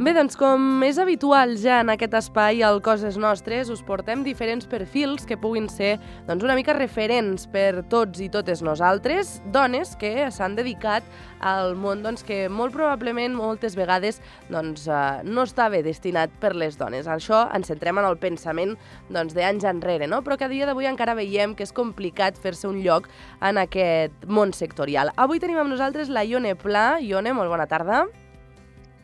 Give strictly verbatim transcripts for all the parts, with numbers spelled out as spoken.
Bé, doncs com és habitual ja en aquest espai al Coses Nostres, us portem diferents perfils que puguin ser doncs, una mica referents per tots i totes nosaltres, dones que s'han dedicat al món doncs, que molt probablement moltes vegades doncs, eh, no estava destinat per les dones. Això ens centrem en el pensament doncs, d'anys enrere, no? Però que a dia d'avui encara veiem que és complicat fer-se un lloc en aquest món sectorial. Avui tenim amb nosaltres la Ione Pla. Ione, molt bona tarda.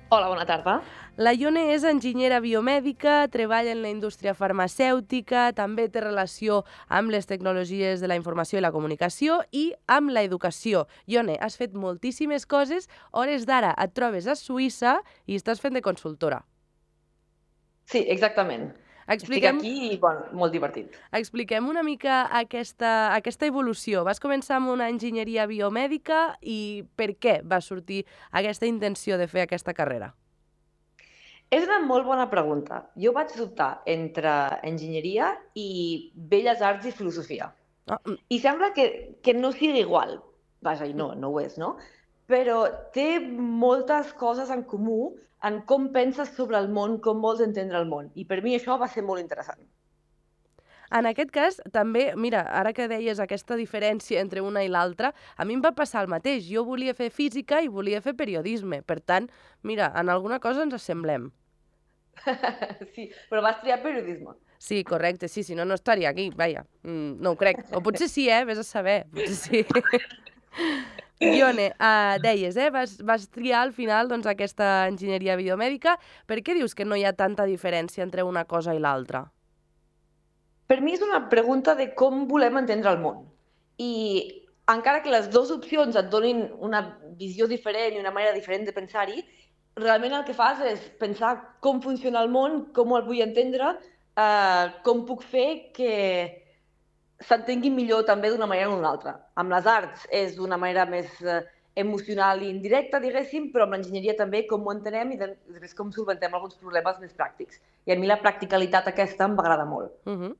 Hola, bona tarda. La Ione és enginyera biomèdica, treballa en la indústria farmacèutica, també té relació amb les tecnologies de la informació i la comunicació i amb l'educació. Ione, has fet moltíssimes coses, hores d'ara et trobes a Suïssa i estàs fent de consultora. Sí, exactament. Expliquem... Estic aquí i, bueno, molt divertit. Expliquem una mica aquesta, aquesta evolució. Vas començar amb una enginyeria biomèdica i per què va sortir aquesta intenció de fer aquesta carrera? És una molt bona pregunta. Jo vaig dubtar entre enginyeria i belles arts i filosofia. Oh, mm. I sembla que, que no sigui igual. Vaja, i no, no ho és, no? Però té moltes coses en comú en com penses sobre el món, com vols entendre el món. I per mi això va ser molt interessant. En aquest cas, també, mira, ara que deies aquesta diferència entre una i l'altra, a mi em va passar el mateix. Jo volia fer física i volia fer periodisme. Per tant, mira, en alguna cosa ens assemblem. Sí, però vas triar periodisme. Sí, correcte, sí, si no, no estaria aquí, vaja, mm, no ho crec. O potser sí, eh, vés a saber, potser sí. Ione, uh, deies, eh, vas, vas triar al final doncs, aquesta enginyeria biomèdica. Per què dius que no hi ha tanta diferència entre una cosa i l'altra? Per mi és una pregunta de com volem entendre el món. I encara que les dues opcions et donin una visió diferent i una manera diferent de pensar-hi, realment el que fas és pensar com funciona el món, com el vull entendre, eh, com puc fer que s'entengui millor també d'una manera o d'una altra. Amb les arts és d'una manera més eh, emocional i indirecta, diguéssim, però amb l'enginyeria també com ho entenem i després com solventem alguns problemes més pràctics. I a mi la practicalitat aquesta em va agradar molt. Uh -huh.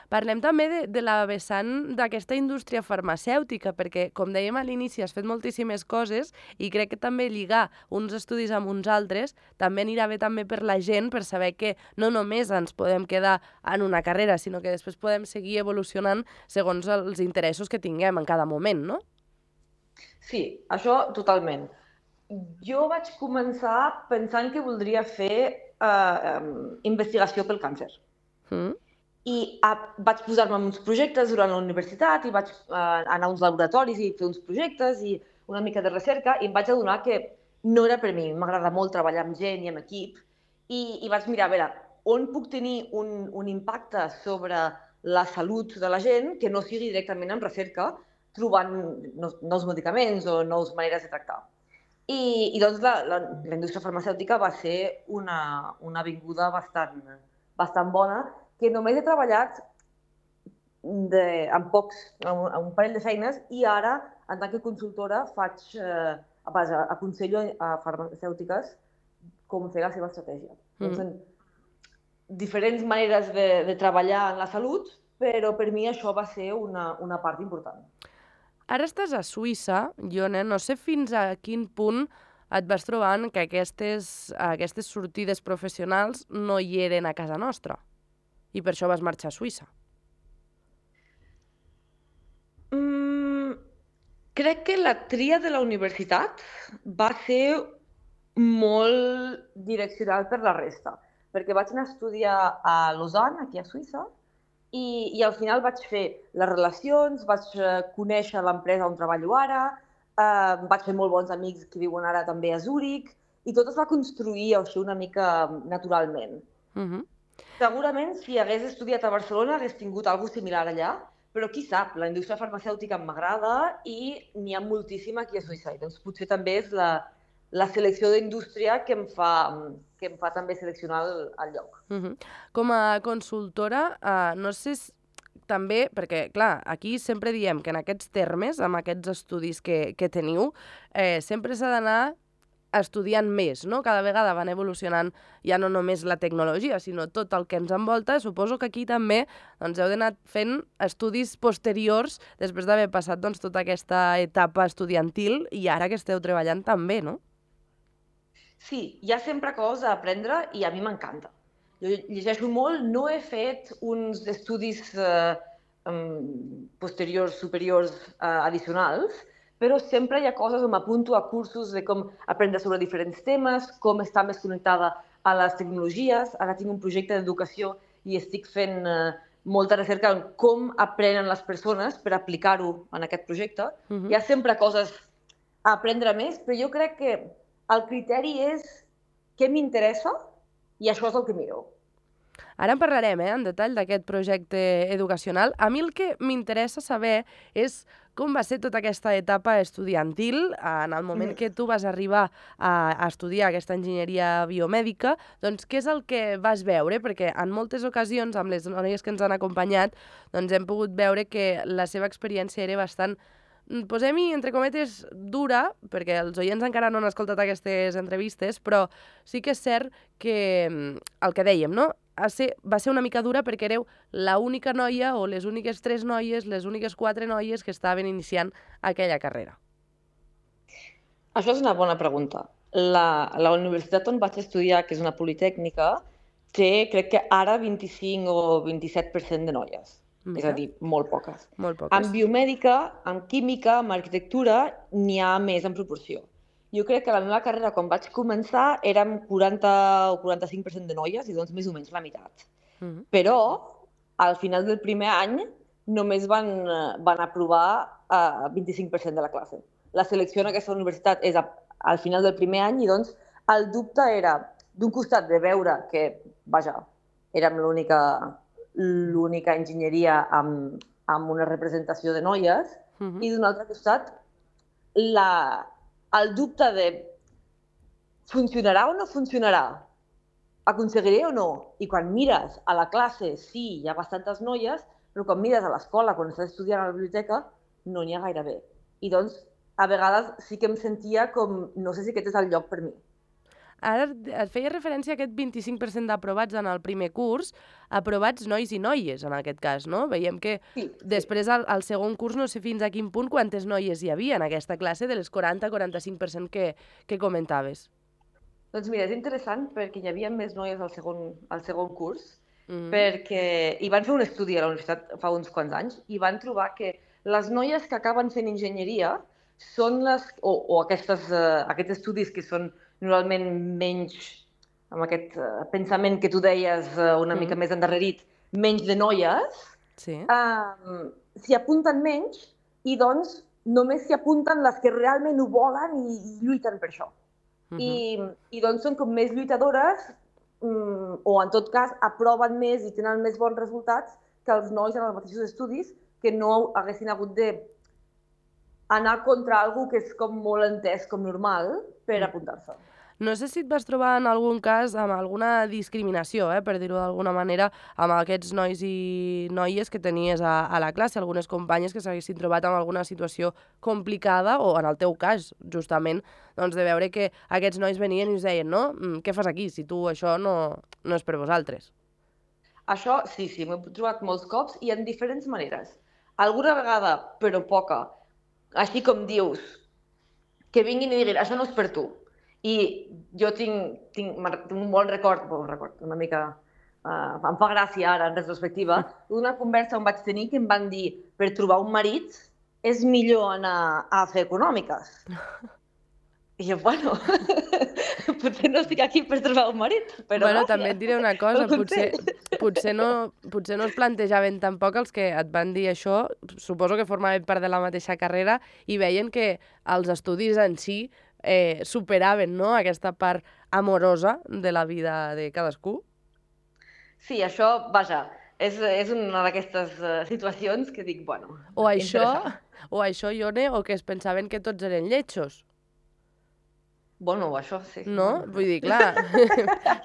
Parlem també de, de la vessant d'aquesta indústria farmacèutica, perquè, com dèiem a l'inici, has fet moltíssimes coses i crec que també lligar uns estudis amb uns altres també anirà bé també per la gent, per saber que no només ens podem quedar en una carrera, sinó que després podem seguir evolucionant segons els interessos que tinguem en cada moment, no? Sí, això totalment. Jo vaig començar pensant que voldria fer eh, investigació pel càncer. Mm. I a, vaig posar-me en uns projectes durant la universitat i vaig eh, anar a uns laboratoris i fer uns projectes i una mica de recerca i em vaig adonar que no era per mi. M'agrada molt treballar amb gent i amb equip i, i vaig mirar, a veure, on puc tenir un, un impacte sobre la salut de la gent que no sigui directament en recerca, trobant nous, nous medicaments o nous maneres de tractar. I, i doncs la, la, la indústria farmacèutica va ser una, una avinguda bastant, bastant bona, que només he treballat de, en pocs, en un parell de feines i ara, en tant que consultora, faig, eh, vaja, aconsello a farmacèutiques com fer la seva estratègia. Mm. Doncs, diferents maneres de, de treballar en la salut, però per mi això va ser una, una part important. Ara estàs a Suïssa, Ione, no sé fins a quin punt et vas trobant que aquestes, aquestes sortides professionals no hi eren a casa nostra i per això vas marxar a Suïssa. Mm, crec que la tria de la universitat va ser molt direccional per la resta, perquè vaig anar a estudiar a Lausanne, aquí a Suïssa, i, i al final vaig fer les relacions, vaig conèixer l'empresa on treballo ara, eh, vaig fer molt bons amics que viuen ara també a Zúrich, i tot es va construir així una mica naturalment. Uh -huh. Segurament, si hagués estudiat a Barcelona, hagués tingut alguna cosa similar allà, però qui sap, la indústria farmacèutica m'agrada i n'hi ha moltíssima aquí a Suïssa, i doncs potser també és la, la selecció d'indústria que em fa, que em fa també seleccionar el, el lloc. Uh -huh. Com a consultora, uh, no sé si també, perquè, clar, aquí sempre diem que en aquests termes, amb aquests estudis que, que teniu, eh, sempre s'ha d'anar estudiant més, no? Cada vegada van evolucionant ja no només la tecnologia, sinó tot el que ens envolta. Suposo que aquí també doncs, heu d'anar fent estudis posteriors després d'haver passat doncs, tota aquesta etapa estudiantil i ara que esteu treballant també, no? Sí, hi ha sempre coses a aprendre i a mi m'encanta. Jo llegeixo molt, no he fet uns estudis eh, um, posteriors, superiors, eh, addicionals, però sempre hi ha coses on m'apunto a cursos de com aprendre sobre diferents temes, com estar més connectada a les tecnologies. Ara tinc un projecte d'educació i estic fent eh, molta recerca en com aprenen les persones per aplicar-ho en aquest projecte. Mhm. Hi ha sempre coses a aprendre més, però jo crec que el criteri és què m'interessa i això és el que miro. Ara en parlarem, eh, en detall d'aquest projecte educacional. A mi el que m'interessa saber és com va ser tota aquesta etapa estudiantil en el moment Mm. que tu vas arribar a, a estudiar aquesta enginyeria biomèdica. Doncs què és el que vas veure? Perquè en moltes ocasions, amb les noies que ens han acompanyat, doncs hem pogut veure que la seva experiència era bastant, posem-hi, entre cometes, dura, perquè els oients encara no han escoltat aquestes entrevistes, però sí que és cert que el que dèiem, no? Va ser, va ser una mica dura perquè éreu l'única noia o les úniques tres noies, les úniques quatre noies que estaven iniciant aquella carrera. Això és una bona pregunta. La, la universitat on vaig estudiar, que és una politècnica, té, crec que ara, vint-i-cinc o vint-i-set per cent de noies. Mira. És a dir, molt poques. Molt poques. En biomèdica, en química, en arquitectura, n'hi ha més en proporció. Jo crec que la meva carrera, quan vaig començar, érem quaranta o quaranta-cinc per cent de noies i doncs més o menys la meitat. Uh -huh. Però, al final del primer any, només van, van aprovar el vint-i-cinc per cent de la classe. La selecció en aquesta universitat és a, al final del primer any i doncs el dubte era, d'un costat, de veure que, vaja, érem l'única l'única enginyeria amb, amb una representació de noies, uh -huh. i d'un altre costat, la, el dubte de funcionarà o no funcionarà? Aconseguiré o no? I quan mires a la classe, sí, hi ha bastantes noies, però quan mires a l'escola, quan estàs estudiant a la biblioteca, no n'hi ha gaire bé. I doncs, a vegades sí que em sentia com, no sé si aquest és el lloc per mi. Ara et feia referència a aquest vint-i-cinc per cent d'aprovats en el primer curs, aprovats nois i noies, en aquest cas, no? Veiem que sí, sí. després, al, al segon curs, no sé fins a quin punt, quantes noies hi havia en aquesta classe de les quaranta quaranta-cinc per cent que, que comentaves. Doncs mira, és interessant perquè hi havia més noies al segon, al segon curs, mm-hmm. perquè hi van fer un estudi a la universitat fa uns quants anys i van trobar que les noies que acaben fent enginyeria són les, o, o aquestes, uh, aquests estudis que són normalment menys, amb aquest uh, pensament que tu deies uh, una mm. mica més endarrerit, menys de noies, sí. uh, s'hi apunten menys i doncs només s'hi apunten les que realment ho volen i, i lluiten per això. Uh-huh. I, I doncs són com més lluitadores um, o en tot cas aproven més i tenen més bons resultats que els nois en els mateixos estudis que no haguessin hagut de anar contra algú que és com molt entès com normal per apuntar-se. No sé si et vas trobar en algun cas amb alguna discriminació, eh, per dir-ho d'alguna manera, amb aquests nois i noies que tenies a, a la classe, algunes companyes que s'haguessin trobat en alguna situació complicada, o en el teu cas, justament, doncs de veure que aquests nois venien i us deien, no? Què fas aquí, si tu això no, no és per vosaltres? Això, sí, sí, m'he trobat molts cops i en diferents maneres. Alguna vegada, però poca, així com dius, que vinguin i diguin, això no és per tu. I jo tinc, tinc, tinc un bon record, bon record, una mica, uh, em fa gràcia ara, en retrospectiva, d'una conversa on vaig tenir que em van dir, per trobar un marit és millor anar a fer econòmiques. I jo, bueno, potser no estic aquí per trobar un marit, però bueno, gràcies. També et diré una cosa, potser, potser, no, potser no es plantejaven tampoc els que et van dir això, suposo que formaven part de la mateixa carrera i veien que els estudis en si eh, superaven, no?, aquesta part amorosa de la vida de cadascú. Sí, això, vaja, és, és una d'aquestes uh, situacions que dic, bueno, o això, o això, Ione, o que es pensaven que tots eren lletjos. Bueno, això sí. No? Vull dir, clar,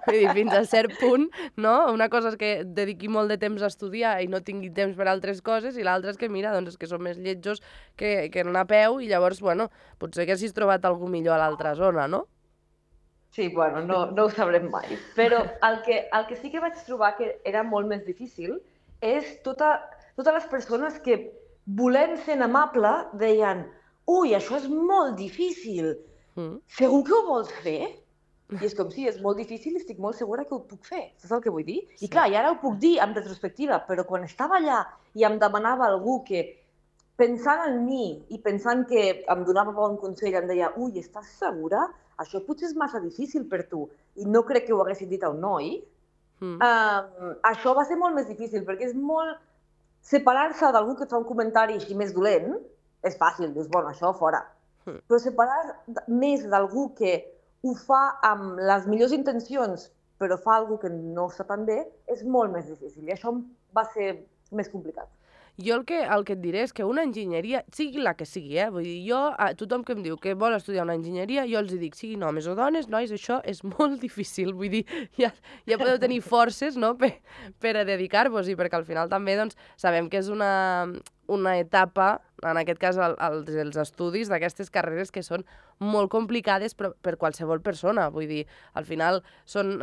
vull dir, fins a cert punt, no? Una cosa és que dediqui molt de temps a estudiar i no tingui temps per altres coses, i l'altra és que, mira, doncs és que són més lletjos que, que anar a peu, i llavors, bueno, potser que hagis trobat algú millor a l'altra zona, no? Sí, bueno, no, no ho sabrem mai. Però el que, el que sí que vaig trobar que era molt més difícil és tota, totes les persones que, volent ser amable, deien, ui, això és molt difícil, Mm. segur que ho vols fer? I és com, sí, és molt difícil i estic molt segura que ho puc fer, saps el que vull dir? I clar, i ara ho puc dir amb retrospectiva, però quan estava allà i em demanava algú que, pensant en mi i pensant que em donava bon consell, em deia, ui, estàs segura? Això potser és massa difícil per tu. I no crec que ho haguessin dit a un noi. Mm. Um, això va ser molt més difícil, perquè és molt... Separar-se d'algú que et fa un comentari així més dolent és fàcil, dius, bueno, això fora. Mm. Però separar més d'algú que ho fa amb les millors intencions, però fa alguna que no està tan bé, és molt més difícil. I això va ser més complicat. Jo el que, el que et diré és que una enginyeria, sigui la que sigui, eh? Vull dir, jo, a tothom que em diu que vol estudiar una enginyeria, jo els dic, siguin homes o dones, nois, això és molt difícil. Vull dir, ja, ja podeu tenir forces, no?, per, per a dedicar-vos-hi, perquè al final també doncs, sabem que és una, una etapa, en aquest cas el, el, els estudis d'aquestes carreres que són molt complicades per, per qualsevol persona. Vull dir, al final són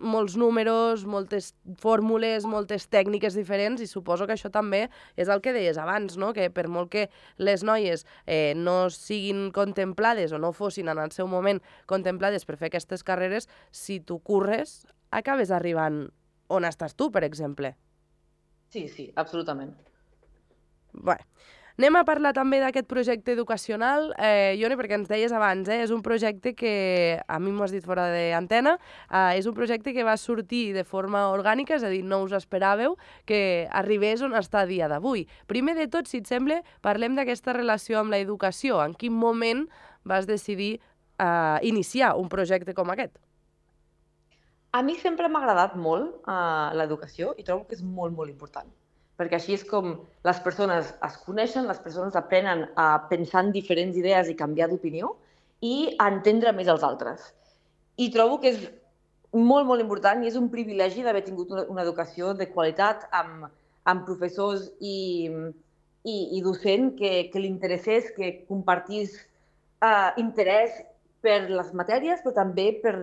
molts números, moltes fórmules, moltes tècniques diferents i suposo que això també és el que deies abans, no?, que per molt que les noies eh, no siguin contemplades o no fossin en el seu moment contemplades per fer aquestes carreres, si tu curres, acabes arribant on estàs tu, per exemple. Sí, sí, absolutament. Bé, anem a parlar també d'aquest projecte educacional. Eh, Ione, perquè ens deies abans, eh, és un projecte que, a mi m'ho has dit fora d'antena, eh, és un projecte que va sortir de forma orgànica, és a dir, no us esperàveu que arribés on està a dia d'avui. Primer de tot, si et sembla, parlem d'aquesta relació amb l'educació. En quin moment vas decidir eh, iniciar un projecte com aquest? A mi sempre m'ha agradat molt eh, l'educació i trobo que és molt, molt important. Perquè així és com les persones es coneixen, les persones aprenen a pensar en diferents idees i canviar d'opinió i a entendre més els altres. I trobo que és molt, molt important i és un privilegi d'haver tingut una, una educació de qualitat amb, amb professors i, i, i docent que, que li interessés, que compartís uh, interès per les matèries, però també per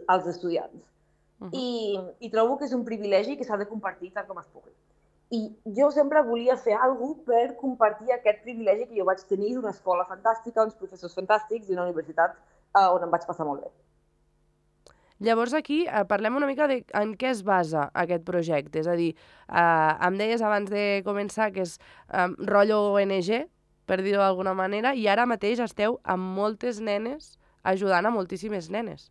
als estudiants. Uh-huh. I, I trobo que és un privilegi que s'ha de compartir tant com es pugui. I jo sempre volia fer alguna cosa per compartir aquest privilegi que jo vaig tenir d'una escola fantàstica, uns professors fantàstics i una universitat eh, on em vaig passar molt bé. Llavors aquí eh, parlem una mica de en què es basa aquest projecte. És a dir, eh, em deies abans de començar que és eh, rotllo O N G, per dir-ho d'alguna manera, i ara mateix esteu amb moltes nenes ajudant a moltíssimes nenes.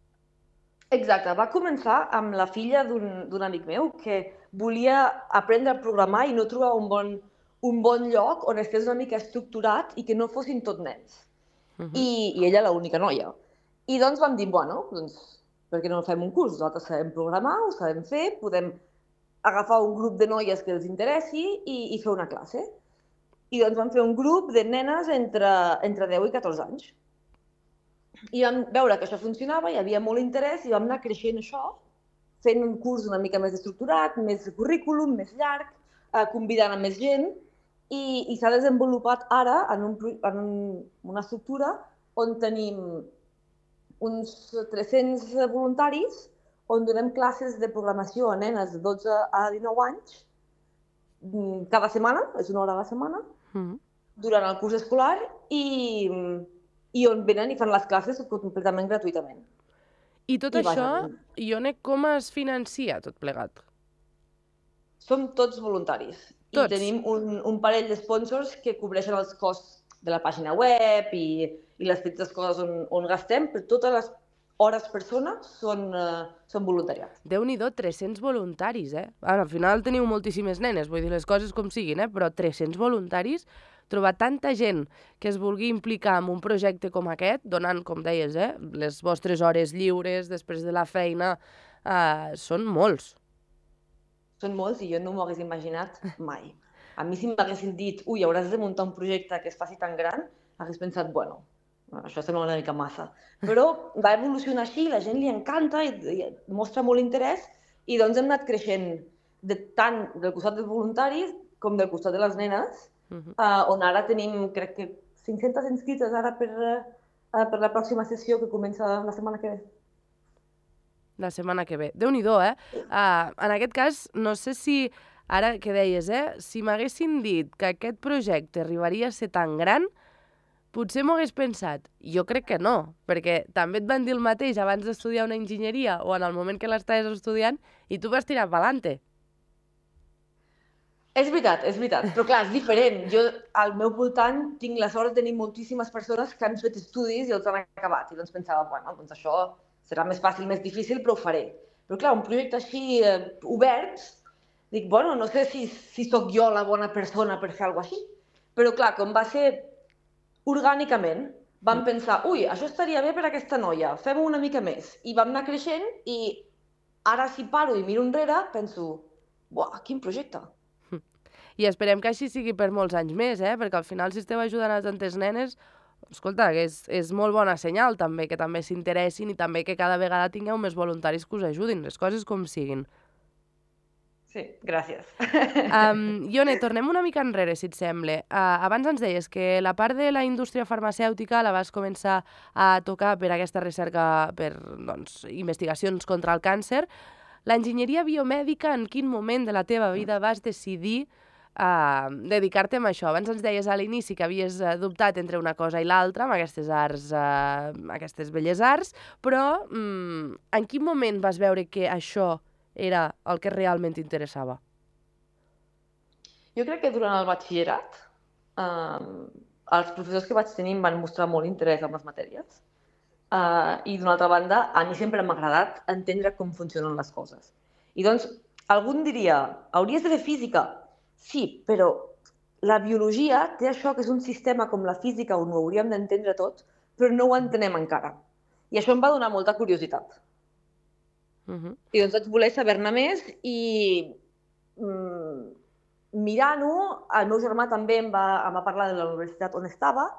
Exacte, va començar amb la filla d'un amic meu que volia aprendre a programar i no trobava un bon, un bon lloc on estigués una mica estructurat i que no fossin tot nens. Uh-huh. I, I ella l'única noia. I doncs vam dir, bueno, doncs, per què no fem un curs? Nosaltres sabem programar, ho sabem fer, podem agafar un grup de noies que els interessi i, i fer una classe. I doncs vam fer un grup de nenes entre, entre deu i catorze anys. I vam veure que això funcionava, hi havia molt interès i vam anar creixent això, fent un curs una mica més estructurat, més currículum, més llarg, eh, convidant a més gent i, i s'ha desenvolupat ara en, un, en un, una estructura on tenim uns tres-cents voluntaris on donem classes de programació a nenes de dotze a dinou anys cada setmana, és una hora a la setmana, mm. durant el curs escolar i... i on venen i fan les classes completament gratuïtament. I tot I això, Ione, com es financia tot plegat? Som tots voluntaris. Tots? I tenim un, un parell de sponsors que cobreixen els costs de la pàgina web i, i les petites coses on, on gastem, però totes les hores persona són, uh, són voluntariat. Déu-n'hi-do, tres-cents voluntaris, eh? Ara, al final teniu moltíssimes nenes, vull dir les coses com siguin, eh? Però tres-cents voluntaris... Trobar tanta gent que es vulgui implicar en un projecte com aquest, donant, com deies, eh, les vostres hores lliures després de la feina, eh, són molts. Són molts i jo no m'ho hagués imaginat mai. A mi si m'haguessin dit, ui, hauràs de muntar un projecte que es faci tan gran, hagués pensat, bueno, això sembla una mica massa. Però va evolucionar així, la gent li encanta i, i mostra molt interès i doncs hem anat creixent de, tant del costat dels voluntaris com del costat de les nenes, Uh-huh. Uh, on ara tenim, crec que cinc-centes inscrites ara per, uh, per la pròxima sessió que comença la setmana que ve. La setmana que ve. Déu-n'hi-do, eh? Uh, en aquest cas, no sé si, ara que deies, eh? Si m'haguessin dit que aquest projecte arribaria a ser tan gran, potser m'ho hagués pensat. Jo crec que no, perquè també et van dir el mateix abans d'estudiar una enginyeria o en el moment que l'estaves estudiant i tu vas tirar pa'lante. És veritat, és veritat, però clar, és diferent. Jo al meu voltant tinc la sort de tenir moltíssimes persones que han fet estudis i els han acabat. I doncs pensava, bueno, doncs això serà més fàcil, més difícil, però ho faré. Però clar, un projecte així eh, obert, dic, bueno, no sé si, si sóc jo la bona persona per fer alguna cosa així. Però clar, com va ser orgànicament, vam pensar, ui, això estaria bé per a aquesta noia, fem-ho una mica més. I vam anar creixent i ara si paro i miro enrere, penso, buah, quin projecte. I esperem que així sigui per molts anys més, eh? Perquè al final si esteu ajudant a tantes nenes, escolta, que és, és molt bona senyal també, que també s'interessin i també que cada vegada tingueu més voluntaris que us ajudin, les coses com siguin. Sí, gràcies. Um, Ione, tornem una mica enrere, si et sembla. Uh, abans ens deies que la part de la indústria farmacèutica la vas començar a tocar per aquesta recerca, per doncs, investigacions contra el càncer. L'enginyeria biomèdica, en quin moment de la teva vida vas decidir uh, dedicar-te a això? Abans ens deies a l'inici que havies uh, dubtat entre una cosa i l'altra, amb aquestes arts, uh, aquestes belles arts, però um, en quin moment vas veure que això era el que realment t'interessava? Jo crec que durant el batxillerat eh, els professors que vaig tenir em van mostrar molt interès en les matèries eh, i d'una altra banda a mi sempre m'ha agradat entendre com funcionen les coses. I doncs algú diria, hauries de fer física? Sí, però la biologia té això que és un sistema com la física on ho hauríem d'entendre tot, però no ho entenem encara. I això em va donar molta curiositat. Uh-huh. I doncs vaig voler saber-ne més i mm, mirant-ho, el meu germà també em va, em va parlar de la universitat on estava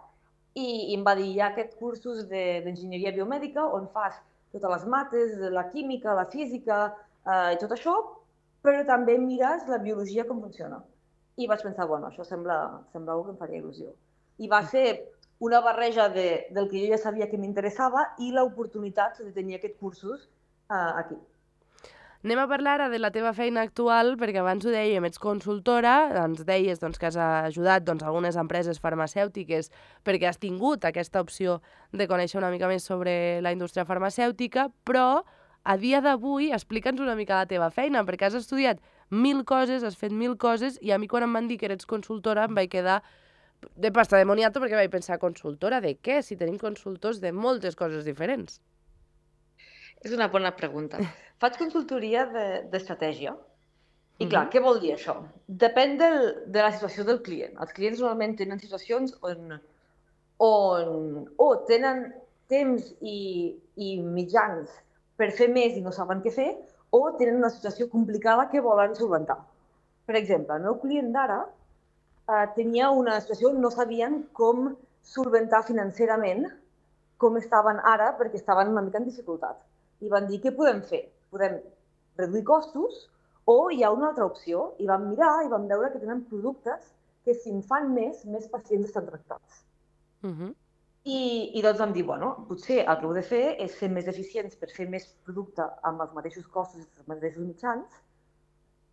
i, i em va dir, hi ha aquests cursos d'enginyeria de, biomèdica on fas totes les mates, la química, la física eh, i tot això, però també mires la biologia com funciona. I vaig pensar, bueno, això sembla, sembla que em faria il·lusió. I va ser una barreja de, del que jo ja sabia que m'interessava i l'oportunitat de tenir aquests cursos Uh, aquí. Anem a parlar ara de la teva feina actual, perquè abans ho dèiem, ets consultora, ens deies doncs, que has ajudat doncs, algunes empreses farmacèutiques perquè has tingut aquesta opció de conèixer una mica més sobre la indústria farmacèutica, però a dia d'avui explica'ns una mica la teva feina, perquè has estudiat mil coses, has fet mil coses, i a mi quan em van dir que eres consultora em vaig quedar de pasta de moniato perquè vaig pensar, consultora de què? Si tenim consultors de moltes coses diferents. És una bona pregunta. Faig consultoria d'estratègia. I clar, uh-huh. Què vol dir això? Depèn del, de la situació del client. Els clients normalment tenen situacions on, on o tenen temps i, i mitjans per fer més i no saben què fer, o tenen una situació complicada que volen solventar. Per exemple, el meu client d'ara eh, tenia una situació on no sabien com solventar financerament com estaven ara perquè estaven una mica en dificultat. I van dir, què podem fer? Podem reduir costos o hi ha una altra opció? I vam mirar i vam veure que tenen productes que si en fan més, més pacients estan tractats. Uh-huh. I, I doncs vam dir, bueno, potser el que heu de fer és ser més eficients per fer més producte amb els mateixos costos i els mateixos mitjans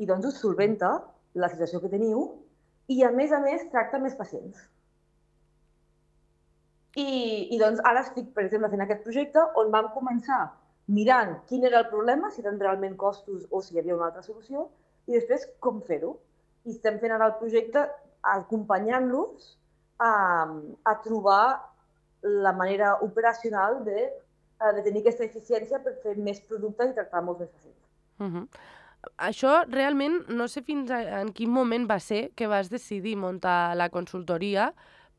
i doncs us solventa la situació que teniu i a més a més tracta més pacients. I, i doncs ara estic, per exemple, fent aquest projecte on vam començar mirant quin era el problema, si eren realment costos o si hi havia una altra solució, i després com fer-ho. I estem fent ara el projecte acompanyant-los a, a trobar la manera operacional de, de tenir aquesta eficiència per fer més productes i tractar molts més pacients. Uh-huh. Això realment no sé fins a, en quin moment va ser que vas decidir muntar la consultoria,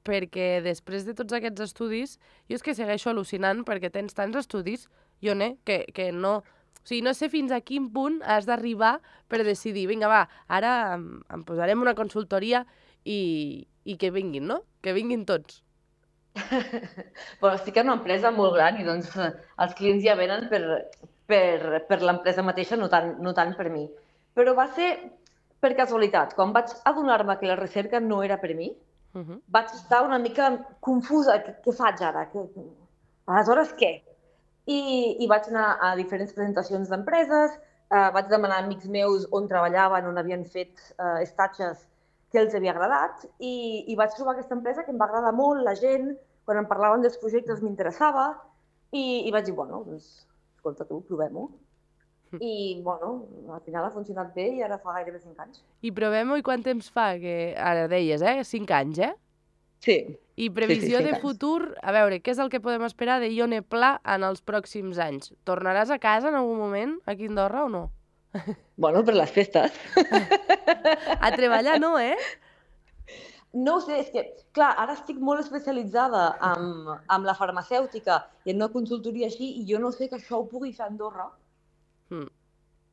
perquè després de tots aquests estudis, jo és que segueixo al·lucinant perquè tens tants estudis, Ione, que, que no... O sigui, no sé fins a quin punt has d'arribar per decidir, vinga, va, ara em, em posarem una consultoria i, i que vinguin, no? Que vinguin tots. Bueno, estic en una empresa molt gran i doncs els clients ja venen per, per, per l'empresa mateixa, no tant, no tant per mi. Però va ser per casualitat. Quan vaig adonar-me que la recerca no era per mi, uh-huh. vaig estar una mica confusa. Què, què faig ara? Que... Aleshores, què? I, I vaig anar a diferents presentacions d'empreses, eh, vaig demanar a amics meus on treballaven, on havien fet eh, estatges que els havia agradat i, i vaig trobar aquesta empresa que em va agradar molt, la gent, quan em parlaven dels projectes m'interessava i, i vaig dir, bueno, doncs, escolta tu, provem-ho. I, bueno, al final ha funcionat bé i ara fa gairebé cinc anys. I provem-ho i quant temps fa? Que ara deies, eh? cinc anys, eh? Sí. I previsió sí, sí, de futur, a veure, què és el que podem esperar de Ione Pla en els pròxims anys? Tornaràs a casa en algun moment, aquí a Andorra, o no? Bueno, per les festes. A treballar no, eh? No ho sé, és que, clar, ara estic molt especialitzada amb, amb la farmacèutica i en una consultoria així, i jo no sé que això ho pugui fer a Andorra. Mm.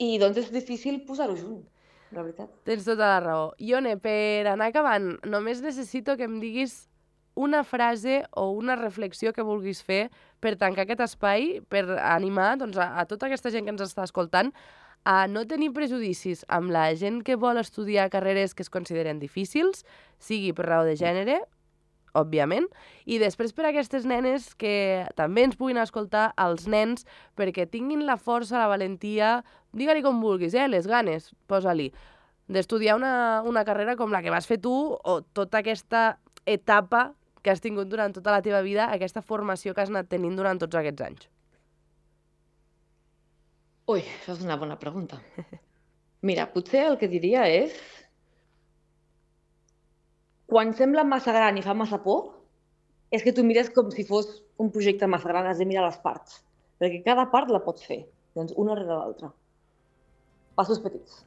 I doncs és difícil posar-ho junt, la veritat. Tens tota la raó. Ione, per anar acabant, només necessito que em diguis una frase o una reflexió que vulguis fer per tancar aquest espai, per animar doncs, a, a tota aquesta gent que ens està escoltant a no tenir prejudicis amb la gent que vol estudiar carreres que es consideren difícils, sigui per raó de gènere, òbviament, i després per aquestes nenes que també ens puguin escoltar, els nens, perquè tinguin la força, la valentia, digue-li com vulguis, eh, les ganes, posa-li, d'estudiar una, una carrera com la que vas fer tu o tota aquesta etapa que has tingut durant tota la teva vida, aquesta formació que has anat tenint durant tots aquests anys. Ui, això és una bona pregunta. Mira, potser el que diria és... Quan sembla massa gran i fa massa por, és que tu mires com si fos un projecte massa gran, has de mirar les parts. Perquè cada part la pots fer, doncs una rere l'altra. Passos petits.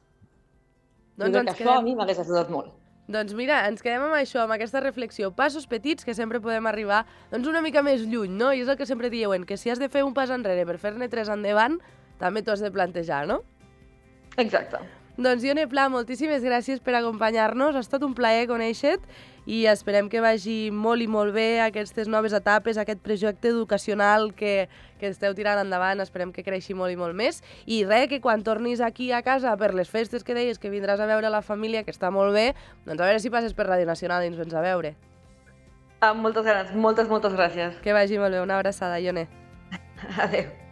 Doncs jo crec que quedem... això a mi m'hagués ajudat molt. Doncs mira, ens quedem amb això, amb aquesta reflexió. Passos petits que sempre podem arribar doncs una mica més lluny, no? I és el que sempre diuen, que si has de fer un pas enrere per fer-ne tres endavant, també t'ho has de plantejar, no? Exacte. Doncs Ione Pla, moltíssimes gràcies per acompanyar-nos. Ha estat un plaer conèixer-te i esperem que vagi molt i molt bé aquestes noves etapes, aquest projecte educacional que, que esteu tirant endavant. Esperem que creixi molt i molt més. I res, que quan tornis aquí a casa per les festes que deies que vindràs a veure la família, que està molt bé, doncs a veure si passes per Ràdio Nacional i ens vens a veure. Amb moltes ganes. Moltes, moltes gràcies. Que vagi molt bé. Una abraçada, Ione. Adéu.